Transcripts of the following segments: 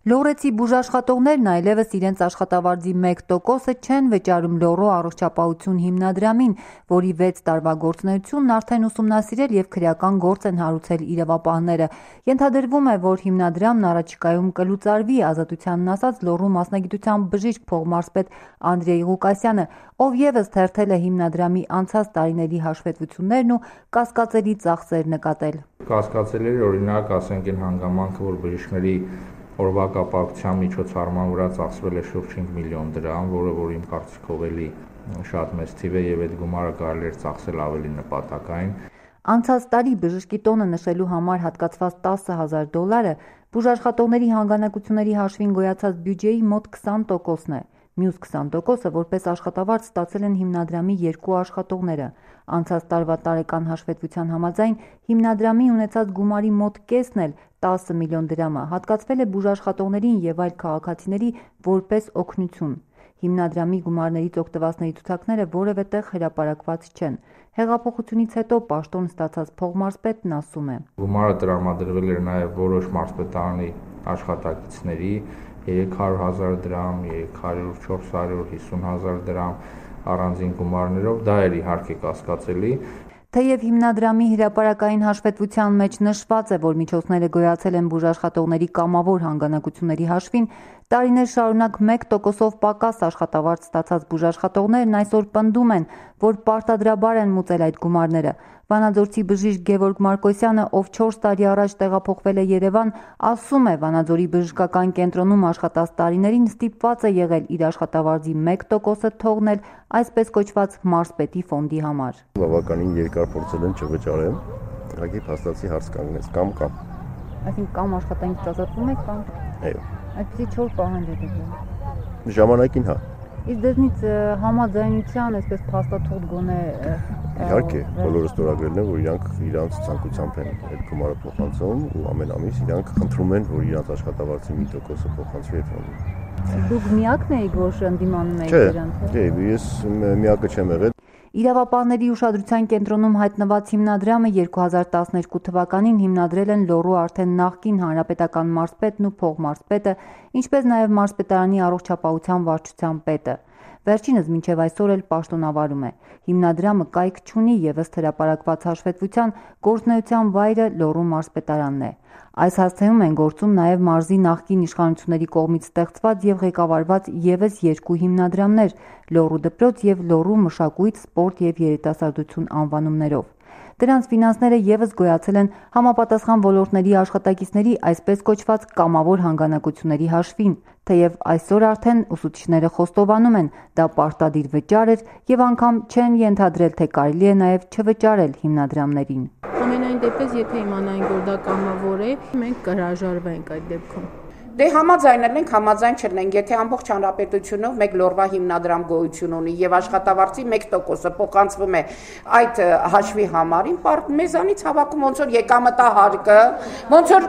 Լոռեցի բուժաշխատողներն այլևս իրենց աշխատավարձի 1%-ը չեն վճարում Լոռու առողջապահություն հիմնադրամին, որի 6 տարվա գործունեությունն արդեն ուսումնասիրել և քրեական գործ են հարուցել իրավապահները։ Ենթադրվում է, որ հիմնադրամն առաջիկայում կլուծարվի, ազատությանն ասաց Լոռու մասնագիտությամբ բժիշկ փողմարզպետ Անդրեյ Ղուկասյանը, ով ևս թերթել է հիմնադրամի անցած տարիների հաշվետվություններն ու կասկածելի ծախսեր նկատել։ Կասկածելի էր օրինակ, ասենք այն հանգամանքը, որ բժիշկների օրվա կապակցության միջոցառման վրա ծախսվել է շուրջ 5 միլիոն դրամ, որ իմ կարծիքով էլի շատ մեծ թիվ է եւ այդ գումարը կարելի էր ծախսել ավելի նպատակային։ Անցած տարի բժշկի տոնը նշելու համար հատկացված $10,000 բուժաշխատողների հանգանակությունների հաշվին գոյացած բյուջեի մոտ 20%-ն է։ Մյուս 20%-ը որպես աշխատավարձ ստացել են հիմնադրամի 2 աշխատողները։ Անցած տարվա տարեկան հաշվետվության համաձայն հիմնադրամի ունեցած գումարի մոտ կեսն էլ 10 միլիոն դրամը հատկացվել է բուժաշխատողներին և այլ քաղաքացիների որպես օգնություն։ Հիմնադրամի գումարներից օգտվածների ցուցակները որևէ տեղ հրապարակված չեն։ Հեղափոխությունից հետո պաշտոն ստացած փողմարզպետն ասում է. Գումարը տրամադրվել էր նաև որոշ մարզպետարանի աշխատակիցների 300,000 դրամ, 300, 400, 50,000 դրամ առանձին գումարներով, դա էր իհարկե կասկածելի։ Թեև հիմնադրամի հրապարակային հաշվետվության մեջ նշված է, որ միջոցները գոյացել են բուժաշխատողների կամավոր հանգանակությունների հաշվին, տարիներ շարունակ 1%-ով պակաս աշխատավարձ ստացած բուժաշխատողներն այսօր պնդում են, որ պարտադրաբար են մուծել այդ գումարները։ Վանաձորցի բժիշկ Գևորգ Մարկոսյանը, ով 4 տարի առաջ տեղափոխվել է Երևան, ասում է, Վանաձորի բժշկական կենտրոնում աշխատած տարիներին ստիպված է եղել իր աշխատավարձի 1%-ը թողնել այսպես կոչված մարզպետի ֆոնդի համար։ Բավականին երկար փորձել են չվճարել, ուղղակի փաստացի հարց կանգնեց կամ։ Այսինքն կամ աշխատանքից ազատվում եք կամ։ Այո։ Այդպիսի 4 պահանջ է դրվել։ Ժամանակին հա։ Իսկ դրանից համաձայնության, այսպես փաստաթուղթ գոնե։ Իհարկե, բոլորը ստորագրել են, որ իրանք ցանկությամբ են այդ գումարը փոխանցում ու ամեն ամիս իրանք խնդրում են, որ իրանք աշխատավարձի 1%-ը փոխանցվի այդ ֆոնդին։ Դուք միակն եք, որ ընդդիմանում եք դրանց։ Չէ, ես միակը չեմ եղել։ Իրավապահների ուշադրության կենտրոնում հայտնված հիմնադրամը 2012 թվականին հիմնադրել են Լոռու արդեն նախկին հանրապետական մարզպետն ու փողմարզպետը, ինչպես նաև մարզպետարանի առողջապահության վարչության պետը։ Վերջինս մինչև այսօր էլ պաշտոնավարում է։ Հիմնադրամը կայք չունի և ըստ հրապարակված հաշվետվության գործունեության վայրը Լոռու մարզպետարանն է։ Այս հասցեում են գործում նաև մարզի նախկին իշխանությունների կողմից ստեղծված և ղեկավարված ևս 2 հիմնադրամներ՝ Լոռու դպրոց և Լոռու մշակույթ, սպորտ և երիտասարդություն անվանումներով։ Դրանց ֆինանսները ևս գոյացել են համապատասխան ոլորտների աշխատակիցների այսպես կոչված կամավոր հանգանակությունների հաշվին, թեև այսօր արդեն ուսուցիչները խոստովանում են, դա պարտադիր վճար էր և անգամ չեն ենթադրել, թե կարելի է նաև չվճարել հիմնադրամներին։ Ամենայն դեպս, եթե իմանայինք, որ դա կամավոր է, մենք կհրաժարվենք այդ դեպքում։ Դե համաձայնել ենք, համաձայն չլինենք, եթե ամբողջ հանրապետությունով մեկ Լոռվա հիմնադրամ գոյություն ունի եւ աշխատավարձի 1%-ը փոխանցվում է այդ հաշվի համարին, մեզանից հավաքում ոնց որ եկամտահարկը, ոնց որ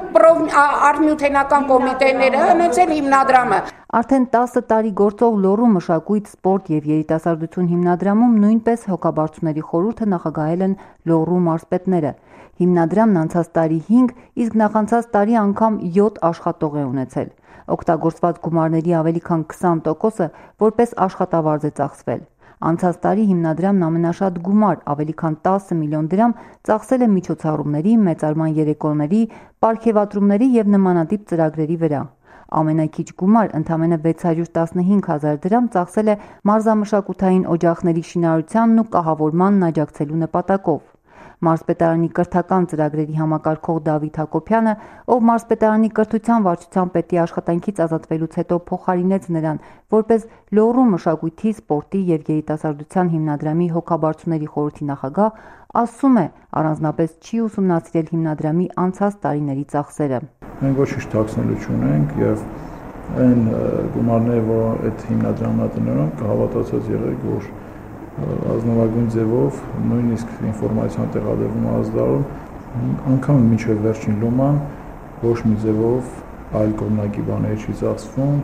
արհմյութենական կոմիտեները, հենց էլ հիմնադրամը։ Արդեն 10 տարի գործող Լոռու մշակույթ, սպորտ և երիտասարդություն հիմնադրամում նույնպես հոգաբարձուների խորհուրդը նախագահել են Լոռու մարզպետները։ Հիմնադրամն անցած տարի 5, իսկ նախանցած տարի անգամ 7 աշխատող է ունեցել։ Օգտագործված գումարների ավելի քան 20%-ը որպես աշխատավարձ է ծախսվել։ Անցած տարի հիմնադրամն ամենաշատ գումար, ավելի քան 10 միլիոն դրամ, ծախսել է միջոցառումների, մեծարման երեկոների, պարգևատրումների և նմանատիպ ծրագրերի վրա։ Ամենաքիչ գումար, ընդամենը 615,000 դրամ ծախսել է մարզամշակութային օջախների շինարարությանն ու կահավորմանն աջակցելու նպատակով։ Մարզպետարանի կրթական ծրագրերի համակարգող Դավիթ Հակոբյանը, ով մարզպետարանի կրթության վարչության պետի աշխատանքից ազատվելուց հետո փոխարինեց նրան որպես Լոռու մշակույթի, սպորտի և երիտասարդության հիմնադրամի հոգաբարձուների խորհրդի նախագահ, ասում է, առանձնապես չի ուսումնասիրել հիմնադրամի անցած տարիների ծախսերը։ Մենք ոչինչ թաքցնելու չունենք եւ այն գումարները, որ այդ հիմնադրամն է տնօրեն, կհավատացած եղեք, որ ազնվագույն ձևով նույնիսկ ինֆորմացիան տեղադրվում ազդարում, անգամ մինչև վերջին լոման ոչ մի ձևով այլ կողմնակի բաներ չի ծախսվում։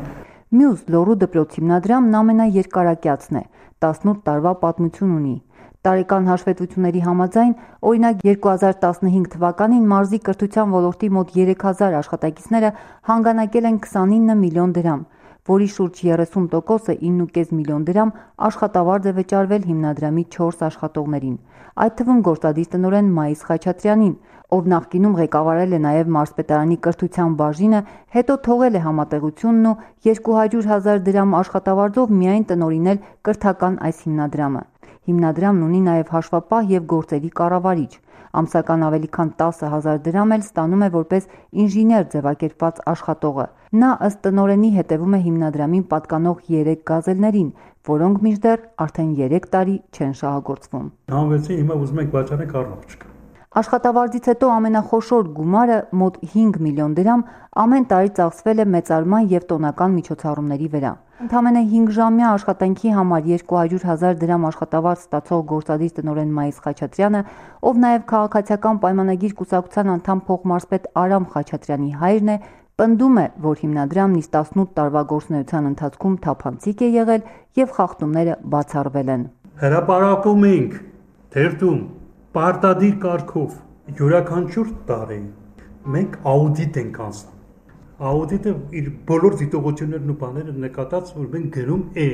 Մյուս Լոռու դպրոց հիմնադրամն ամենաերկարակյացն է, 18 տարվա պատմություն ունի։ Տարեկան հաշվետվությունների համաձայն, օրինակ 2015 թվականին մարզի կրթության ոլորտի մոտ 3000 աշխատակիցները հանգանակել են 29 միլիոն դրամ, որի շուրջ 30%-ը 9.5 միլիոն դրամ աշխատավարձ է վճարվել հիմնադրամի 4 աշխատողներին, այդ թվում գործադիր տնօրեն Մայիս Խաչատրյանին, ով նախկինում ղեկավարել է նաև մարզպետարանի կրթության բաժինը, հետո թողել է համատեղությունն ու 200,000 դրամ աշխատավարձով միայն տնօրինել կրթական այս հիմնադրամը։ Հիմնադրամն ունի նաև հաշվապահ և գործերի կառավարիչ։ Ամսական ավելի քան 10,000 դրամ էլ ստանում է որպես ինժեներ ձևակերպված աշխատողը։ Նա ըստ տնօրենի հետևում է հիմնադրամին պատկանող 3 գազելներին, որոնք մինչդեռ արդեն 3 տարի չեն շահագործվում։ Հանվեցին, հիմա ուզում ենք վաճառենք, առնող չկա։ Աշխատավարձից հետո ամենախոշոր գումարը մոտ 5 միլիոն դրամ ամեն տարի ծախսվել է մեծարման և տոնական միջոցառումների վրա։ Ընդամենը 5-ժամյա աշխատանքի համար 200,000 դրամ աշխատավարձ ստացող գործադիր տնօրեն Մայիս Խաչատրյանը, ով նաև քաղաքացիական պայմանագիր կուսակցության անդամ փոխմարզպետ Արամ Խաչատրյանի հայրն է, պնդում է, որ հիմնադրամն իս 18 տարվա գործունեության ընթացքում թափանցիկ է եղել և խախտումները բացառվել են։ Հրապարակում ենք թերթում պարտադիր կարգով յուրաքանչյուր տարի մենք աուդիտ ենք անցնում։ Աուդիտը իր բոլոր դիտողություններն ու բաները նկատած, որ մենք գրում է։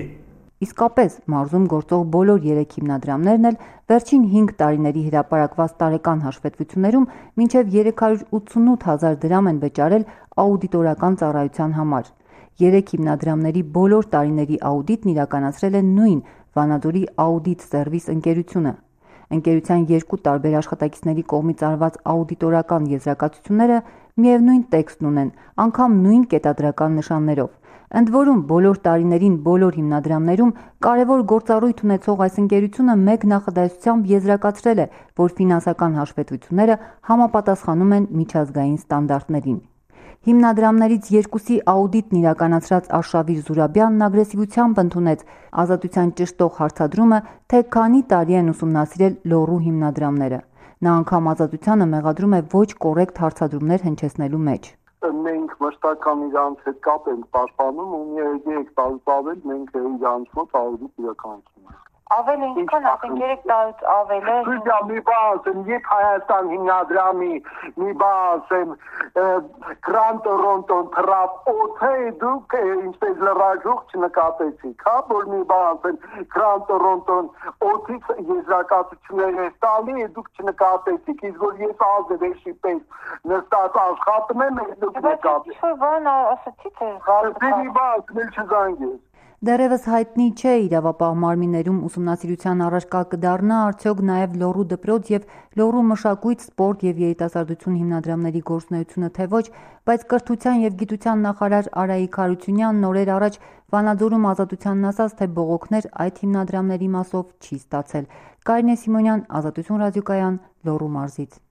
Իսկապես, մարզում գործող բոլոր 3 հիմնադրամներն էլ վերջին 5 տարիների հրապարակված տարեկան հաշվետվություններում մինչև 388,000 դրամ են վճարել աուդիտորական ծառայության համար։ 3 հիմնադրամների բոլոր տարիների աուդիտն իրականացրել է նույն Վանաձորի Աուդիտ Սերվիս ընկերությունը։ Ընկերության 2 տարբեր աշխատակիցների կողմից արված աուդիտորական եզրակացությունները միևնույն տեքստն ունեն, անգամ նույն կետադրական նշաններով։ Ընդ որում, բոլոր տարիներին բոլոր հիմնադրամներում կարևոր գործառույթ ունեցող այս ընկերությունը մեկ նախադասությամբ եզրակացրել է, որ ֆինանսական հաշվետվությունները համապատասխանում են միջազգային ստանդարտներին։ Հիմնադրամներից 2-ի աուդիտն իրականացրած Արշավիր Զուրաբյանն ագրեսիվությամբ ընդունեց Ազատության ճշտող հարցադրումը, թե քանի տարի են ուսումնասիրել Լոռու հիմնադրամները։ Նա անգամ Ազատությանը մեղադրում է ոչ կոռեկտ հարցադրումներ հնչեցնելու մեջ։ Մենք մշտական իրանց հետ կապ ենք պաշտպանում ու 3 տարուց ավել մենք իրանց մոտ աուդիտ իրականացնում ենք։ Ավել ինչքան ասենք 3 տարուց ավել է։ Սուդիա մի բան, երբ Հայաստան հիմնադրամի մի բան, գրանտորոնտոն թրապ օթե դուք ինչպես լրաժող չնկատեցիք, հա, որ մի բան, գրանտորոնտոն օթից եզրակացություններ է տալի, դուք չնկատեցիք, իսկ որ ես ազդվեշի պես նստած աշխատում եմ, դուք նկատեցիք։ Ինչ-որ բան ասացի թե Դե մի բան, մել չզանգես։ Դեռևս հայտնի չէ իրավապահ մարմիններում ուսումնասիրության առարկա կդառնա արդյոք նաև Լոռու դպրոց և Լոռու մշակույթ, սպորտ և երիտասարդություն հիմնադրամների գործունեությունը թե ոչ, բայց կրթության և գիտության նախարար Արայիկ Հարությունյանն օրեր առաջ Վանաձորում Ազատությանն ասաց, թե բողոքներ այդ հիմնադրամների մասով չի ստացել։ Կարինե Սիմոնյան, Ազատություն ռադիոկայան, Լոռու մարզից։